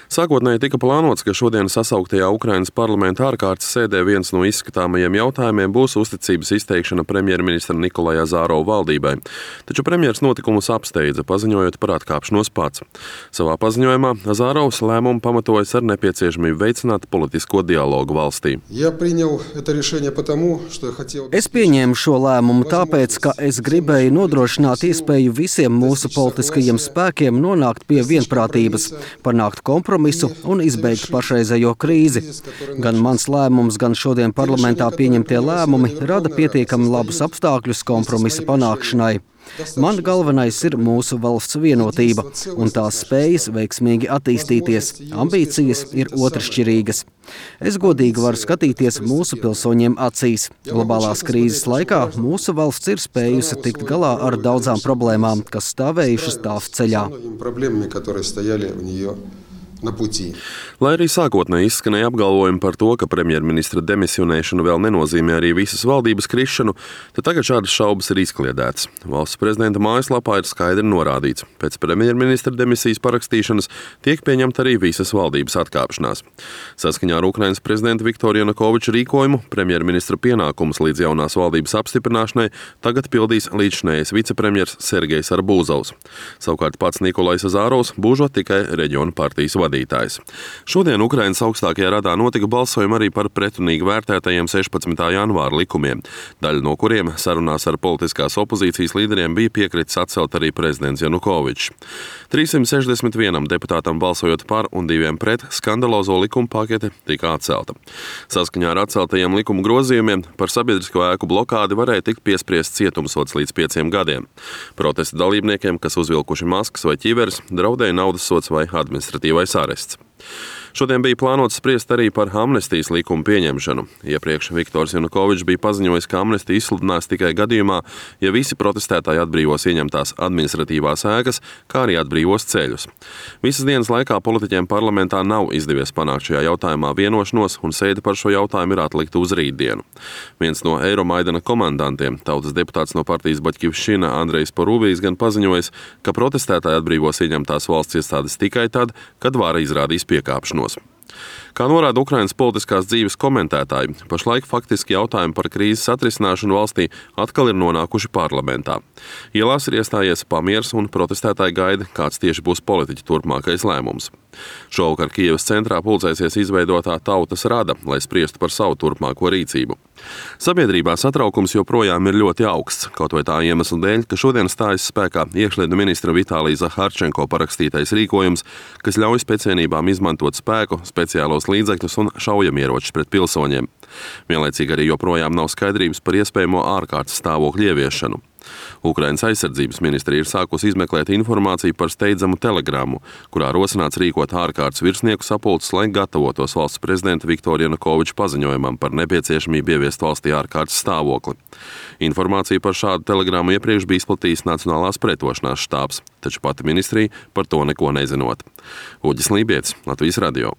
Sākotnēji tika plānots, ka šodien sasauktajā Ukrainas parlamenta ārkārtas sēdē viens no izskatāmajiem jautājumiem būs uzticības izteikšana premjerministra Nikolaja Azarova valdībai. Taču premjers notikumus apsteidza, paziņojot par atkāpšanos pats. Savā paziņojumā Azarovs lēmumu pamatojas ar nepieciešamību veicināt politisko dialogu valstī. Es pieņēmu šo lēmumu tāpēc, ka es gribēju nodrošināt iespēju visiem mūsu politiskajiem spēkiem nonākt pie vienprātības, panākt kompromisu un izbeigt pašreizējo krīzi. Gan mans lēmums, gan šodien parlamentā pieņemtie lēmumi rada pietiekami labus apstākļus kompromisa panākšanai. Man galvenais ir mūsu valsts vienotība un tās spējas veiksmīgi attīstīties. Ambīcijas ir otršķirīgas. Es godīgi varu skatīties mūsu pilsoņiem acīs. Globālās krīzes laikā mūsu valsts ir spējusi tikt galā ar daudzām problēmām, kas stāvējušas tās ceļā. Lai arī sākotnēji izskanēja apgalvojumi par to, ka premjerministra demisionēšana vēl nenozīmē arī visas valdības krišanu, tad tagad šādas šaubas ir izkliedētas. Valsts prezidenta mājaslapā ir skaidri norādīts, pēc premjerministra demisijas parakstīšanas tiek pieņemta arī visas valdības atkāpšanās. Saskaņā ar Ukrainas prezidenta Viktora Janukoviča rīkojumu premjerministra pienākumus līdz jaunās valdības apstiprināšanai tagad pildīs līdzšinējais vicepremjers Sergejs Arbūzovs. Savukārt pats Nikolajs Azarovs būžot tikai reģionu partijas vadītājs. Šodien Ukrainas augstākajā radā notika balsojumi arī par pretrunīgi vērtētajiem 16. janvāra likumiem, daļa no kuriem sarunās ar politiskās opozīcijas līderiem bija piekritis atcelt arī prezidents Janukovičs. 361 deputātam balsojot par un 2 pret, skandalozo likumu pakete tika atcelta. Saskaņā ar atceltajiem likuma grozījumiem par sabiedrisko ēku blokādi varēja tikt piespriests cietumsods līdz 5 gadiem. Protesta dalībniekiem, kas uzvilkuši maskas vai ķiveres, draudēja naudas sods vai administratīvais arests. Šodien bija plānots spriest arī par amnestijas likumu pieņemšanu. Iepriekš Viktors Janukovičs bija paziņojis, ka amnestija izsludinās tikai gadījumā, ja visi protestētāji atbrīvos ieņemtās administratīvās ēkas, kā arī atbrīvos ceļus. Visas dienas laikā politiķiem parlamentā nav izdevies panākt šajā jautājumā vienošanos, un sēde par šo jautājumu ir atlikta uz rītdienu. Viens no Eiromaidana komandantiem, tautas deputāts no partijas Baļķivšķina Andrejs Porūbijs, gan paziņojis, ka protestētāji atbrīvos ieņemtās valsts iestādes tikai tad, kad vara izrādīs piekāpšanos. Kā norāda Ukrainas politiskās dzīves komentētāji, pašlaik faktiski jautājumi par krīzes atrisināšanu valstī atkal ir nonākuši parlamentā. Ielās ir iestājies pamieris un protestētāji gaida, kāds tieši būs politiķa turpmākais lēmums. Šovakar Kijevas centrā pulcēsies izveidotā tautas rada, lai spriestu par savu turpmāko rīcību. Sabiedrībā satraukums joprojām ir ļoti augsts, kaut vai tā iemesla dēļ, ka šodien stājas spēkā iekšlietu ministra Vitālija Zaharčenko parakstītais rīkojums, kas ļauj spēcienībām izmantot spēku, speciālos līdzekļus un šaujamieročus pret pilsoņiem. Vienlaicīgi arī joprojām nav skaidrības par iespējamo ārkārtas stāvokļu ieviešanu. Ukrainas aizsardzības ministrija ir sākusi izmeklēt informāciju par steidzamu telegrammu, kurā rosināts rīkot ārkārtas virsnieku sapulces, lai gatavotos valsts prezidenta Viktora Janukoviča paziņojumam par nepieciešamību ieviest valstī ārkārtas stāvokli. Informāciju par šādu telegrammu iepriekš bija izplatījis Nacionālās pretošanās štābs, taču pati ministrija par to neko nezinot. Uģis Lībietis, Latvijas radio.